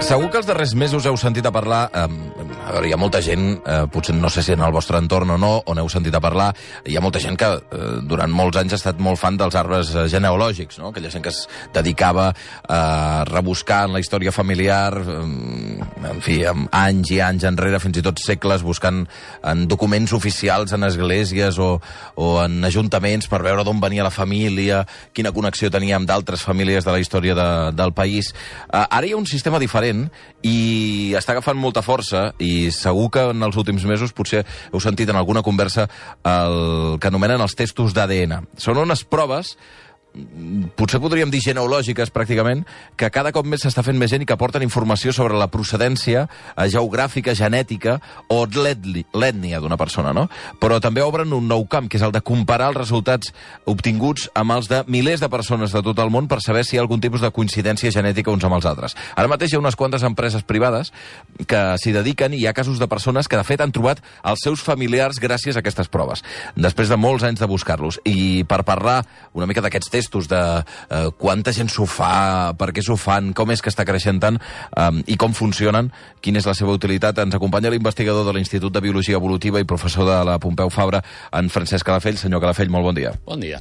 Segur que els darrers mesos heu sentit a parlar... a veure, hi ha molta gent, potser no sé si en el vostre entorn o no, on heu sentit a parlar, hi ha molta gent que durant molts anys ha estat molt fan dels arbres genealògics, no? Aquella gent que es dedicava a rebuscar en la història familiar, en fi, amb anys i anys enrere, fins i tot segles, buscant en documents oficials, en esglésies o en ajuntaments per veure d'on venia la família, quina connexió tenia amb d'altres famílies de la història del país. Ara hi ha un sistema diferent i està agafant molta força i segur que en els últims mesos potser heu sentit en alguna conversa el que anomenen els testos d'ADN. Són unes proves, potser podríem dir genealògiques pràcticament, que cada cop més s'està fent més gent i que aporten informació sobre la procedència geogràfica, genètica o l'ètnia d'una persona, no? Però també obren un nou camp, que és el de comparar els resultats obtinguts amb els de milers de persones de tot el món per saber si hi ha algun tipus de coincidència genètica uns amb els altres. Ara mateix hi ha unes quantes empreses privades que s'hi dediquen i hi ha casos de persones que de fet han trobat els seus familiars gràcies a aquestes proves, després de molts anys de buscar-los. I per parlar una mica d'aquests testos, de quanta gent s'ho fa, per què s'ho fan, com és que està creixent tant i com funcionen, quina és la seva utilitat. Ens acompanya l'investigador de l'Institut de Biologia Evolutiva i professor de la Pompeu Fabra, en Francesc Calafell. Senyor Calafell, molt bon dia. Bon dia.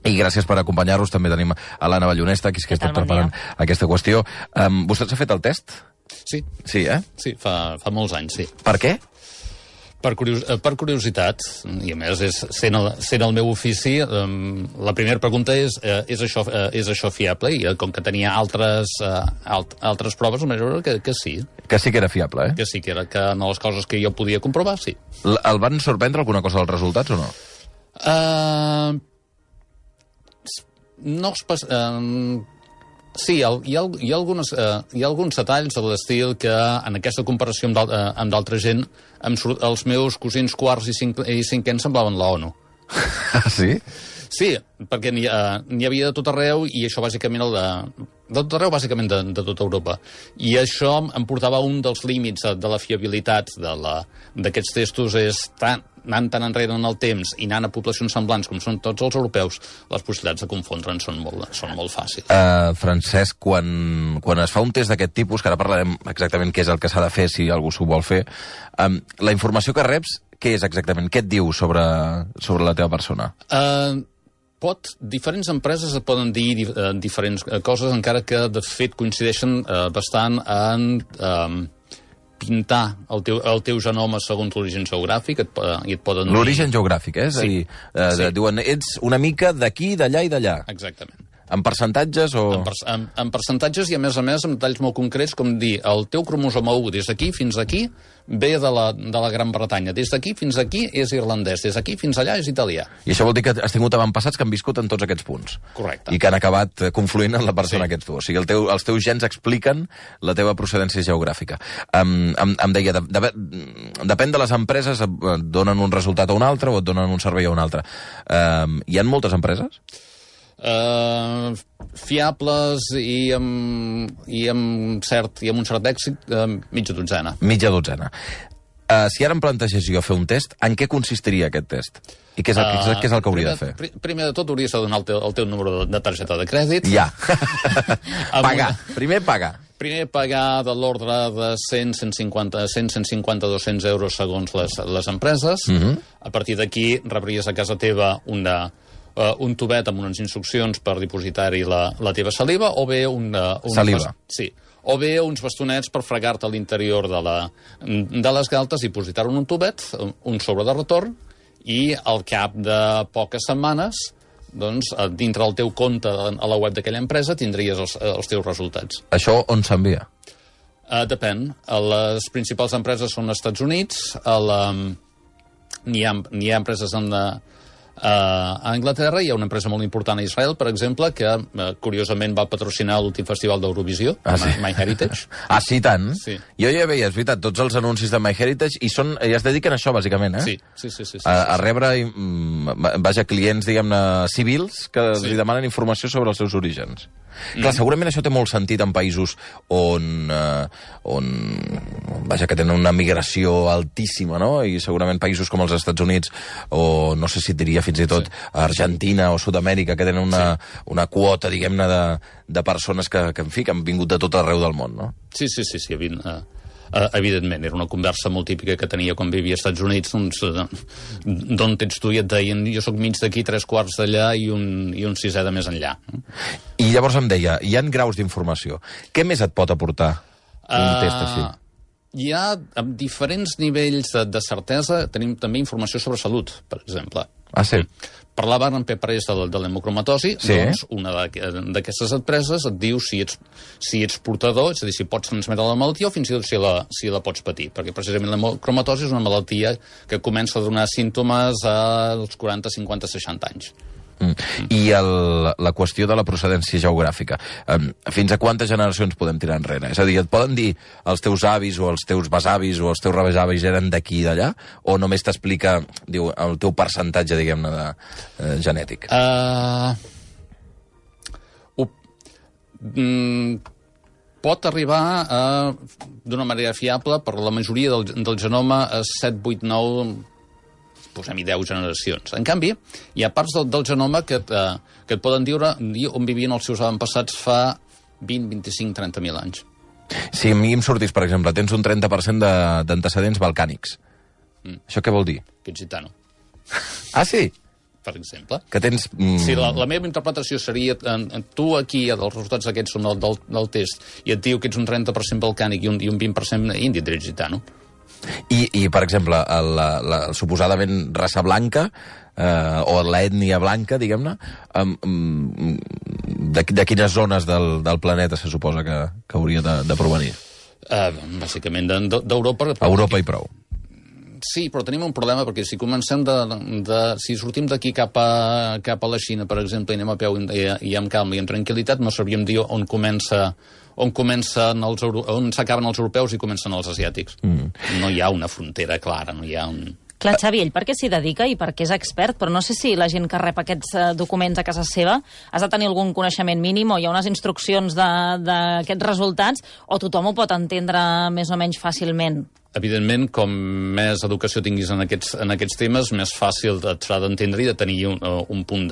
I gràcies per acompanyar-nos. També tenim a l'Anna Ballonesta, que és que ha estat preparant aquesta qüestió. Vostè s'ha fet el test? Sí. Sí, eh? Sí, fa molts anys, sí. Per què? Per curiositat, i a més, sent el meu ofici, la primera pregunta és això fiable? I com que tenia altres proves, em vaig veure que sí. Que sí que era fiable, eh? Que sí que era, que en les coses que jo podia comprovar, sí. El van sorprendre alguna cosa dels resultats o no? Sí, hi ha alguns detalls de l'estil que en aquesta comparació amb d'altra gent els meus cosins quarts i cinquens semblaven l'ONU. Ah, sí? Sí, perquè n'hi havia de tot arreu i això bàsicament de tot arreu, bàsicament de tota Europa. I això em portava a un dels límits de la fiabilitat d'aquests testos, és anant tan enrere en el temps i anant a poblacions semblants com són tots els europeus, les possibilitats de confondre'n són molt fàcils. Francesc, quan es fa un test d'aquest tipus, que ara parlarem exactament què és el que s'ha de fer si algú s'ho vol fer, la informació que reps, què és exactament? Què et diu sobre la teva persona? Diferents empreses et poden dir diferents coses, encara que de fet coincideixen bastant en pintar el teu genoma segons l'origen geogràfic, i et poden dir... L'origen geogràfic, eh? És a dir, diuen, ets una mica d'aquí, d'allà i d'allà. Exactament. En percentatges o...? En percentatges i, a més, amb detalls molt concrets, com dir, el teu cromosoma 1 des d'aquí fins aquí ve de la Gran Bretanya, des d'aquí fins aquí és irlandès, des d'aquí fins allà és italià. I això vol dir que has tingut avantpassats que han viscut en tots aquests punts. Correcte. I que han acabat confluint en la persona que ets tu. O sigui, els teus gens expliquen la teva procedència geogràfica. Em deia, depèn de les empreses, et donen un resultat a un altre o et donen un servei a un altre. Hi ha moltes empreses? Fiables i amb un cert èxit, mitja dotzena. Mitja dotzena. Si ara em plantegés jo fer un test, en què consistiria aquest test? I què és el que hauria de fer? Primer de tot hauries de donar el teu número de targeta de crèdit. Ja. Pagar. Primer pagar. Primer pagar de l'ordre de 150, 200 euros segons les empreses. A partir d'aquí rebries a casa teva un tubet amb unes instruccions per dipositar-hi la teva saliva, o bé saliva? Sí. O bé uns bastonets per fregar-te a l'interior de les galtes, dipositar-ho en un tubet, un sobre de retorn, i al cap de poques setmanes, doncs, dintre del teu compte a la web d'aquella empresa, tindries els teus resultats. Això on s'envia? Depèn. Les principals empreses són als Estats Units, n'hi ha empreses a Anglaterra, hi ha una empresa molt important a Israel, per exemple, que curiosament va patrocinar l'últim festival d'Eurovisió, MyHeritage. Ah, sí, tant? Sí. Jo ja veia, és veritat, tots els anuncis de MyHeritage i es dediquen a això, bàsicament, eh? Sí. A rebre vaja, clients, diguem-ne, civils que li demanen informació sobre els seus orígens. Clar, segurament això té molt sentit en països on vaja, que tenen una migració altíssima, no? I segurament països com els Estats Units o no sé si et diria fins i tot Argentina o Sud-amèrica, que tenen una quota, diguem-ne, de persones que, en fi, que han vingut de tot arreu del món, no? Sí, evidentment, era una conversa molt típica que tenia quan vivia als Estats Units, doncs, d'on ets tu? I et deien, jo sóc mig d'aquí, 3/4 d'allà i un 6è de més enllà. I llavors em deia, hi ha graus d'informació. Què més et pot aportar un test així? Hi ha diferents nivells de certesa. Tenim també informació sobre salut, per exemple. Ah, sí? Parlaven en P3 de l'hemocromatosi, doncs una d'aquestes empreses et diu si ets portador, és a dir, si pots transmetre la malaltia o fins i tot si la pots patir, perquè precisament l'hemocromatosi és una malaltia que comença a donar símptomes als 40, 50, 60 anys. I la qüestió de la procedència geogràfica. Fins a quantes generacions podem tirar enrere? És a dir, et poden dir els teus avis o els teus besavis o els teus rebesavis eren d'aquí i d'allà? O només t'explica, diu, el teu percentatge, diguem-ne, genètic? Pot arribar d'una manera fiable per la majoria del genoma a 7, 8, 9... posem-hi 10 generacions. En canvi, hi ha parts del genoma que et poden dir on vivien els seus avantpassats fa 20, 25, 30.000 anys. Si a mi em sortís, per exemple, tens un 30% d'antecedents balcànics. Això què vol dir? Que ets gitano. Ah, sí? Per exemple. Que tens... Sí, la meva interpretació seria, tu aquí, els resultats aquests són del test, i et diu que ets un 30% balcànic i un 20% indi, ets gitano. I, per exemple, la suposadament raça blanca, o l'ètnia blanca, diguem-ne, de quines zones del planeta se suposa que hauria de provenir? Bàsicament d'Europa. Europa i prou. Sí, però tenim un problema, perquè si comencem si sortim d'aquí cap a la Xina, per exemple, i anem a peu i amb calma i amb tranquil·litat, no sabríem dir on s'acaben els europeus i comencen els asiàtics. No hi ha una frontera clara, no hi ha un... Clar, Xavi, ell per què s'hi dedica i per què és expert, però no sé si la gent que rep aquests documents a casa seva has de tenir algun coneixement mínim o hi ha unes instruccions d'aquests resultats o tothom ho pot entendre més o menys fàcilment. Evidentment, com més educació tinguis en aquests temes, més fàcil et serà d'entendre i de tenir un punt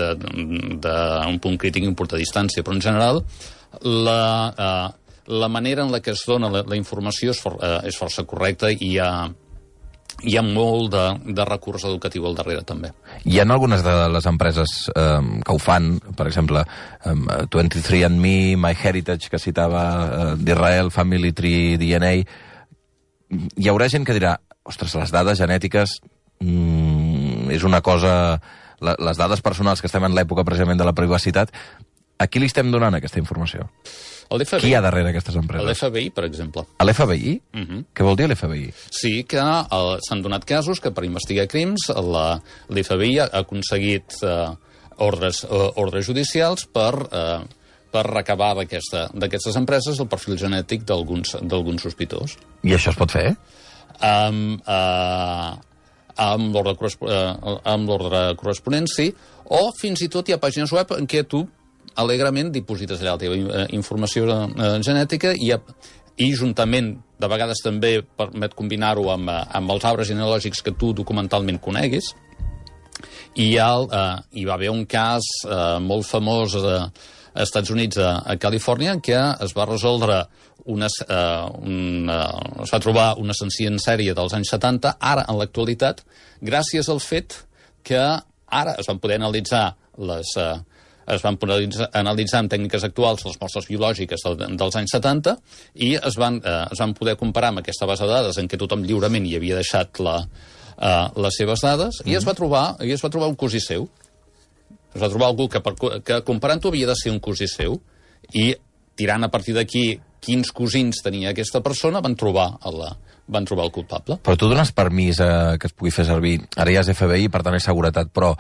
crític i un punt de distància. Però, en general, la manera en la que es dona la informació és força correcta i hi ha molt de recurs educatiu al darrere, també. Hi ha algunes de les empreses que ho fan, per exemple, 23andMe, MyHeritage, que citava d'Israel, Family Tree, DNA... Hi haurà gent que dirà, ostres, les dades genètiques és una cosa... Les dades personals, que estem en l'època precisament de la privacitat, a qui li estem donant aquesta informació? Qui hi ha darrere aquestes empreses? L'FBI, per exemple. A l'FBI? Què vol dir l'FBI? Sí, que s'han donat casos que per investigar crims l'FBI ha aconseguit ordres judicials per recabar d'aquestes empreses el perfil genètic d'alguns sospitós. I això es pot fer? Amb l'ordre corresponent, sí, o fins i tot hi ha pàgines web en què tu alegrement diposites allà la teva informació genètica i juntament, de vegades també permet combinar-ho amb els arbres genealògics que tu documentalment coneguis. I hi va haver un cas molt famós als Estats Units, a Califòrnia, en què es va resoldre es va trobar un assassí en sèrie dels anys 70, ara, en l'actualitat, gràcies al fet que ara es van poder analitzar amb tècniques actuals les mostres biològiques dels anys 70 i es van poder comparar amb aquesta base de dades en què tothom lliurement hi havia deixat les seves dades i es va trobar un cosí seu. Es va trobar algú que comparant-ho havia de ser un cosí seu i tirant a partir d'aquí quins cosins tenia aquesta persona van trobar el culpable. Però tu dones permís que es pugui fer servir, ara ja és FBI, per tant és seguretat, però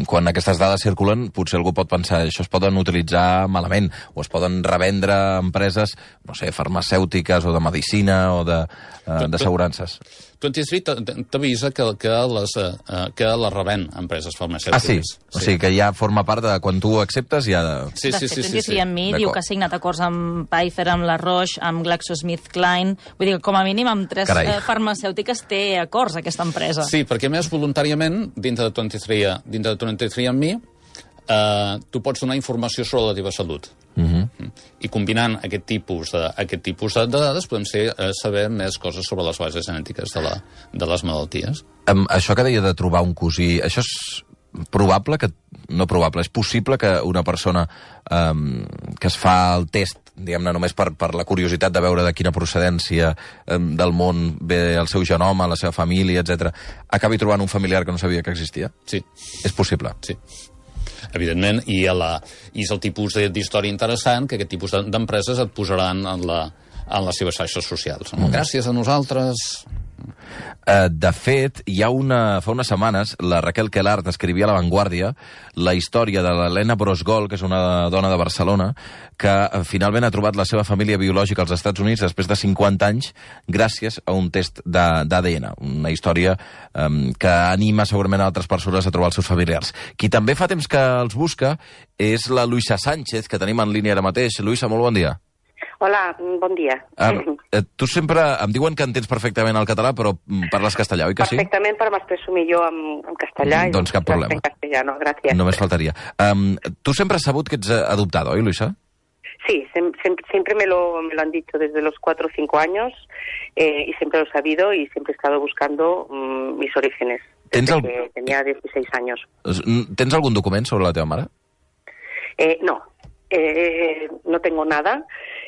quan aquestes dades circulen, potser algú pot pensar això es poden utilitzar malament, o es poden revendre a empreses, no sé, farmacèutiques o de medicina o d'assegurances. 23 t'avisa que les revèn empreses farmacèutiques. Ah, sí? O sigui que ja forma part de quan tu ho acceptes ja... Sí. 23andMe diu que ha signat acords amb Pfizer, amb la Roche, amb GlaxoSmithKline. Vull dir que com a mínim amb 3 farmacèutiques té acords aquesta empresa. Sí, perquè més voluntàriament, dintre de 23andMe, tu pots donar informació sobre la teva salut. I combinant aquest tipus de dades podem saber més coses sobre les bases genètiques de les malalties. Això que deia de trobar un cosí, això és probable que... No probable, és possible que una persona que es fa el test, diguem-ne, només per la curiositat de veure de quina procedència del món ve el seu genoma, la seva família, etc., acabi trobant un familiar que no sabia que existia? Sí. És possible? Sí. Evidentment, i és el tipus d'història interessant que aquest tipus d'empreses et posaran en les seves xarxes socials. Gràcies a nosaltres... De fet, fa unes setmanes, la Raquel Quelart escrivia a La Vanguardia la història de l'Helena Brosgol, que és una dona de Barcelona, que finalment ha trobat la seva família biològica als Estats Units després de 50 anys gràcies a un test d'ADN. Una història que anima segurament a altres persones a trobar els seus familiars. Qui també fa temps que els busca és la Luisa Sánchez, que tenim en línia ara mateix. Luisa, molt bon dia. Hola, bon dia. Tu sempre... Em diuen que entens perfectament el català, però parles castellà, oi que sí? Perfectament, però m'expresso millor en castellà. Doncs cap problema. En castellano, gràcies. Només faltaria. Tu sempre has sabut que ets adoptada, oi, Luisa? Sí, siempre me lo han dicho desde los 4 o 5 años y siempre lo he sabido y siempre he estado buscando mis orígenes desde que tenía 16 años. ¿Tens algun document sobre la teva mare? No, no tengo nada.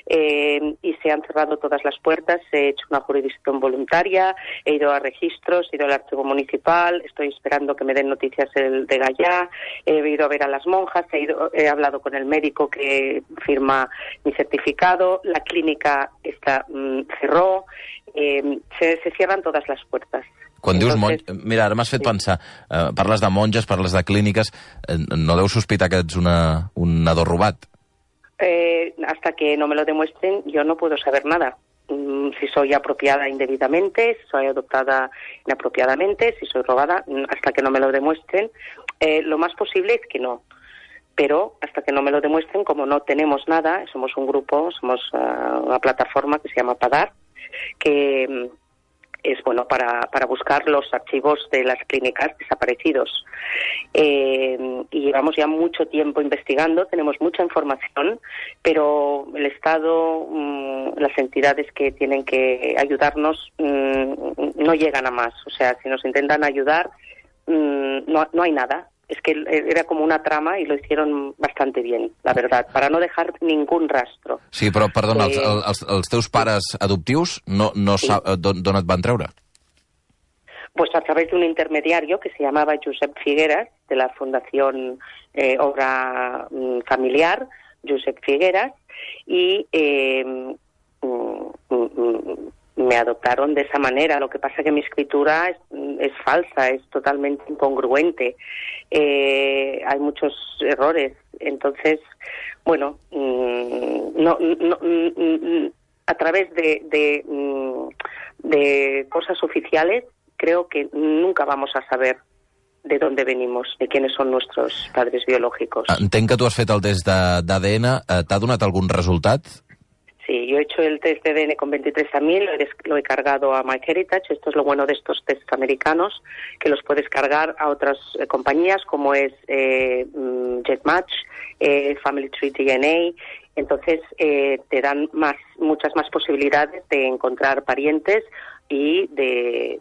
Y se han cerrado todas las puertas, he hecho una jurisdicción voluntaria, he ido a registros, he ido al archivo municipal, estoy esperando que me den noticias de Gallá, he ido a ver a las monjas, he hablado con el médico que firma mi certificado, la clínica cerró, se cierran todas las puertas. Quan dius monges... Mira, ara m'has fet pensar, parles de monges, parles de clíniques, no deus sospitar que ets un nadó robat? Hasta que no me lo demuestren, yo no puedo saber nada. Si soy apropiada indebidamente, si soy adoptada inapropiadamente, si soy robada, hasta que no me lo demuestren, lo más posible es que no. Pero hasta que no me lo demuestren, como no tenemos nada, somos un grupo, somos una plataforma que se llama PADAR, que es bueno para buscar los archivos de las clínicas desaparecidos. Y llevamos ya mucho tiempo investigando, tenemos mucha información, pero el Estado, las entidades que tienen que ayudarnos no llegan a más. O sea, si nos intentan ayudar, no hay nada. Es que era como una trama y lo hicieron bastante bien, la verdad, para no dejar ningún rastro. Sí, però, perdona, els teus pares adoptius d'on et van treure? Pues a través de un intermediario que se llamaba Josep Figueras, de la Fundación Obra Familiar, Josep Figueras, y me adoptaron de esa manera. Lo que pasa que mi escritura es falsa, es totalmente incongruente. Hay muchos errores. Entonces, bueno, a través de cosas oficiales, creo que nunca vamos a saber de dónde venimos, de quiénes son nuestros padres biológicos. Entenc que tu has fet el test d'ADN. T'ha donat algun resultat? Sí, yo he hecho el test de ADN con 23andMe, lo he cargado a MyHeritage. Esto es lo bueno de estos tests americanos, que los puedes cargar a otras compañías como es GetMatch, Family Tree DNA. Entonces te dan muchas más posibilidades de encontrar parientes y de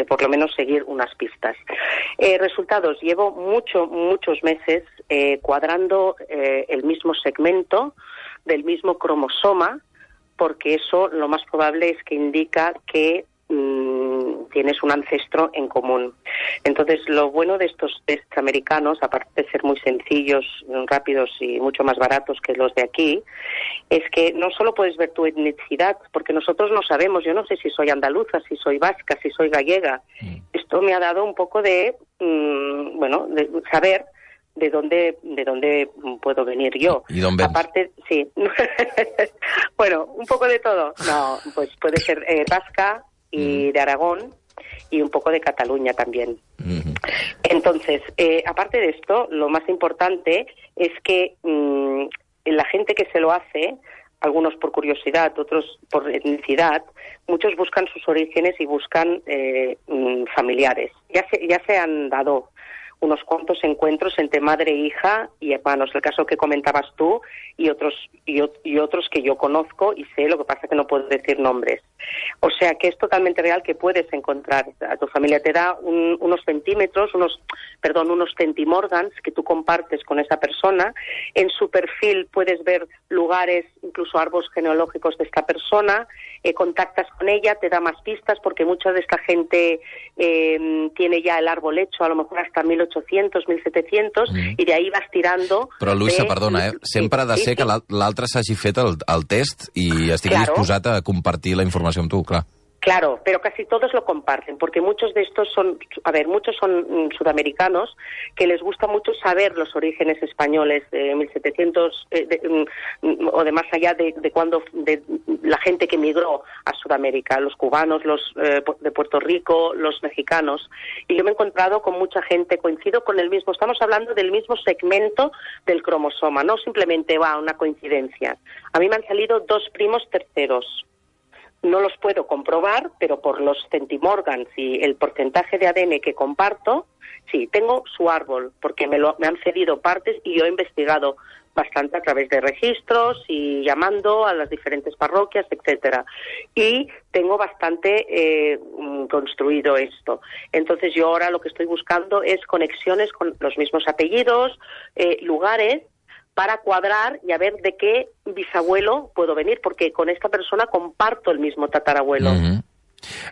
por lo menos seguir unas pistas. Resultados, llevo muchos meses cuadrando el mismo segmento del mismo cromosoma, porque eso lo más probable es que indica que tienes un ancestro en común. Entonces, lo bueno de estos test americanos, aparte de ser muy sencillos, rápidos y mucho más baratos que los de aquí, es que no solo puedes ver tu etnicidad, porque nosotros no sabemos, yo no sé si soy andaluza, si soy vasca, si soy gallega. Esto me ha dado un poco de saber de dónde puedo venir yo. ¿Y dónde ven? Aparte, sí. Bueno, un poco de todo. No, pues puede ser vasca y de Aragón y un poco de Cataluña también. Entonces, aparte de esto, lo más importante es que la gente que se lo hace, algunos por curiosidad, otros por etnicidad, muchos buscan sus orígenes y buscan familiares. Ya se han dado unos cuantos encuentros entre madre, hija y hermanos, el caso que comentabas tú y otros que yo conozco y sé, lo que pasa es que no puedo decir nombres. O sea que es totalmente real que puedes encontrar a tu familia, te da unos centímetros, unos centimorgans que tú compartes con esa persona. En su perfil puedes ver lugares, incluso árboles genealógicos de esta persona, contactas con ella, te da más pistas porque mucha de esta gente tiene ya el árbol hecho, a lo mejor hasta 1800, 1700, y de ahí vas tirando... Però, Luisa, perdona, sempre ha de ser que l'altre s'hagi fet el test i estigui disposat a compartir la informació amb tu, clar. Claro, pero casi todos lo comparten, porque muchos de estos son sudamericanos que les gusta mucho saber los orígenes españoles de 1700 o de más allá de cuando de la gente que migró a Sudamérica, los cubanos, los de Puerto Rico, los mexicanos. Y yo me he encontrado con mucha gente, coincido con el mismo, estamos hablando del mismo segmento del cromosoma, no simplemente una coincidencia. A mí me han salido 2 primos terceros. No los puedo comprobar, pero por los centimorgans y el porcentaje de ADN que comparto, sí, tengo su árbol, porque me han cedido partes y yo he investigado bastante a través de registros y llamando a las diferentes parroquias, etcétera. Y tengo bastante construido esto. Entonces yo ahora lo que estoy buscando es conexiones con los mismos apellidos, lugares, para cuadrar y a ver de qué bisabuelo puedo venir, porque con esta persona comparto el mismo tatarabuelo.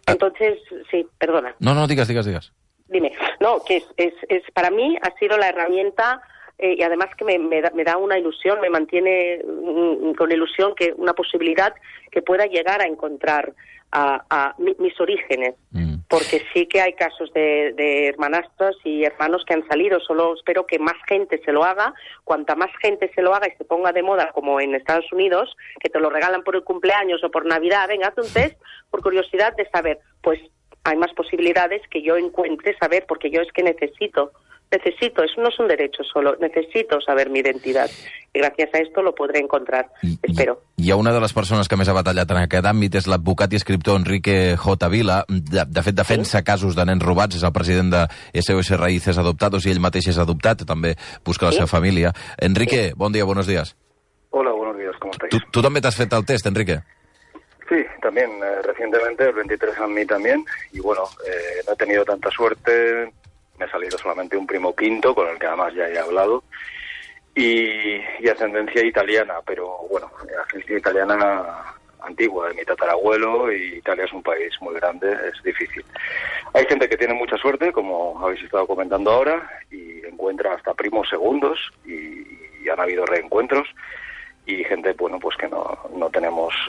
Entonces, sí, perdona. No, digas. Dime. No, que es para mí ha sido la herramienta y además que me da una ilusión, me mantiene con ilusión, que una posibilidad que pueda llegar a encontrar a mis orígenes. Porque sí que hay casos de hermanastros y hermanos que han salido. Solo espero que más gente se lo haga. Cuanta más gente se lo haga y se ponga de moda, como en Estados Unidos, que te lo regalan por el cumpleaños o por Navidad, venga, haz un test por curiosidad de saber, pues hay más posibilidades que yo encuentre saber, porque yo es que necesito, eso no es un derecho solo, necesito saber mi identitat. I gràcies a esto lo podré encontrar, espero. Hi ha una de les persones que més ha batallat en aquest àmbit, és l'advocat i escriptor Enrique J. Vila. De fet, defensa casos de nens robats, és el president de SOS Raíces Adoptados i ell mateix és adoptat, també busca la seva família. Enrique, bon dia, buenos días. Hola, buenos días, ¿cómo estáis? ¿Tú también te has fet el test, Enrique? Sí, también, recientemente, el 23 a mí también, y bueno, no he tenido tanta suerte. Me ha salido solamente un primo quinto, con el que además ya he hablado, y ascendencia italiana, pero bueno, ascendencia italiana antigua, de mi tatarabuelo, y Italia es un país muy grande, es difícil. Hay gente que tiene mucha suerte, como habéis estado comentando ahora, y encuentra hasta primos segundos, y han habido reencuentros, y gente, bueno, pues que no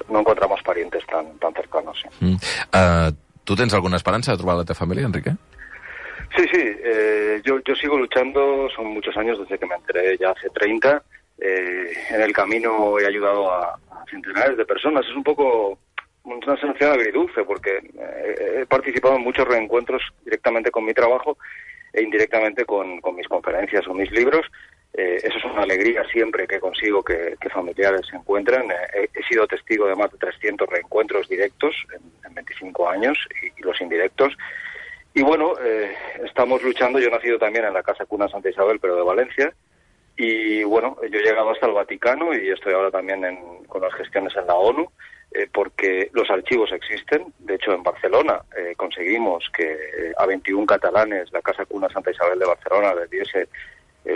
encontramos parientes tan cercanos. Sí. ¿Tú tens alguna esperança de trobar la teva família, Enrique? Sí, yo sigo luchando, son muchos años desde que me enteré, ya hace 30. En el camino he ayudado a centenares de personas. Es un poco una sensación agridulce, porque he participado en muchos reencuentros directamente con mi trabajo e indirectamente con mis conferencias o mis libros. Eso es una alegría siempre que consigo que familiares se encuentren. He sido testigo de más de 300 reencuentros directos en 25 años y los indirectos. Y bueno, estamos luchando. Yo he nacido también en la Casa Cuna Santa Isabel, pero de Valencia. Y bueno, yo he llegado hasta el Vaticano y estoy ahora también con las gestiones en la ONU, porque los archivos existen. De hecho, en Barcelona conseguimos que a 21 catalanes la Casa Cuna Santa Isabel de Barcelona les diese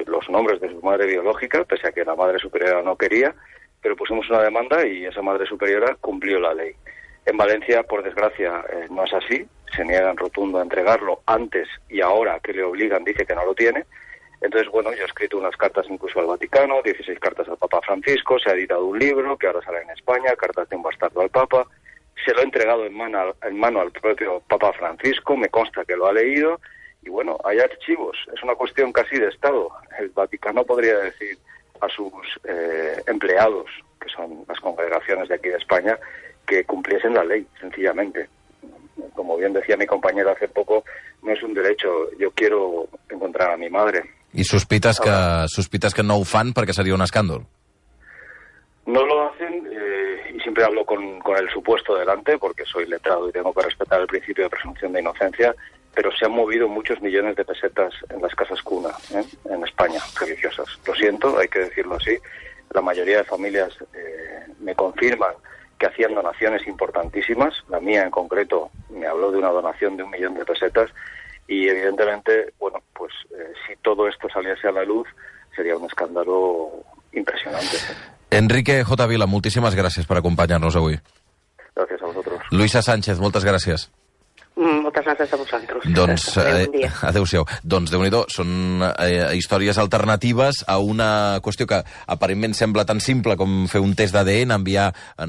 los nombres de su madre biológica, pese a que la Madre Superiora no quería, pero pusimos una demanda y esa Madre Superiora cumplió la ley. En Valencia, por desgracia, no es así. Se niegan rotundo a entregarlo antes y ahora que le obligan dice que no lo tiene. Entonces, bueno, yo he escrito unas cartas incluso al Vaticano, 16 cartas al Papa Francisco, se ha editado un libro que ahora sale en España, Cartas de un bastardo al Papa. Se lo he entregado en mano al propio Papa Francisco, me consta que lo ha leído Y bueno, hay archivos, es una cuestión casi de Estado. El Vaticano podría decir a sus empleados, que son las congregaciones de aquí de España, que cumpliesen la ley, sencillamente. Como bien decía mi compañera hace poco, no es un derecho. Yo quiero encontrar a mi madre. I sospites que no ho fan perquè seria un escàndol? No lo hacen, y siempre hablo con el supuesto delante, porque soy letrado y tengo que respetar el principio de presunción de inocencia, pero se han movido muchos millones de pesetas en las casas cuna, en España, religiosas. Lo siento, hay que decirlo así. La mayoría de familias me confirman que hacían donaciones importantísimas. La mía, en concreto, me habló de una donación de 1 millón de pesetas y, evidentemente, bueno, pues si todo esto saliese a la luz, sería un escándalo impresionante. Enrique J. Vila, moltíssimes gràcies per acompanyar-nos avui. Gràcies a vosaltres. Luisa Sánchez, moltes gràcies. Moltes gràcies a vosaltres. Doncs, Bon dia. adéu-siau. Doncs, Déu-n'hi-do, són històries alternatives a una qüestió que aparentment sembla tan simple com fer un test d'ADN,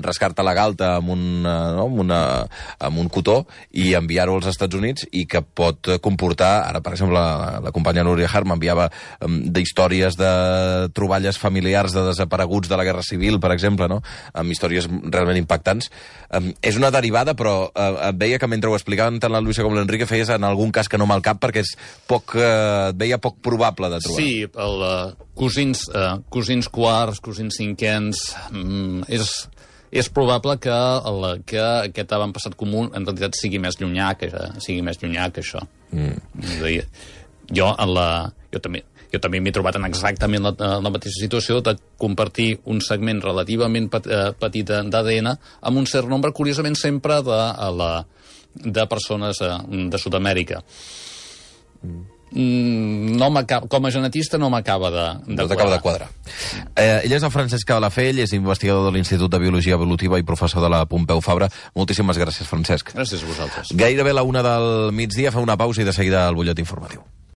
rascar-te la galta amb un cotó i enviar-ho als Estats Units, i que pot comportar, ara per exemple la companya Núria Hart m'enviava d'històries de troballes familiars de desapareguts de la Guerra Civil, per exemple, no? Amb històries realment impactants. És una derivada, però veia que mentre ho explicaven tant la Luisa com l'Enrique feies en algun cas que no me'l cap perquè és et veia poc probable de trobar. Sí, cosins quarts, cosins cinquens, és probable que aquest avantpassat comú en realitat sigui més llunyà que això. Jo també m'he trobat en exactament la mateixa situació de compartir un segment relativament petit d'ADN amb un cert nombre, curiosament sempre de persones de Sud-amèrica. Com a genetista no m'acaba de quadrar. Ella és la Francesca Balafell, és investigador de l'Institut de Biologia Evolutiva i professor de la Pompeu Fabra. Moltíssimes gràcies, Francesc. Gràcies a vosaltres. Gairebé la 1 del migdia, fa una pausa i de seguida el butlletí informatiu.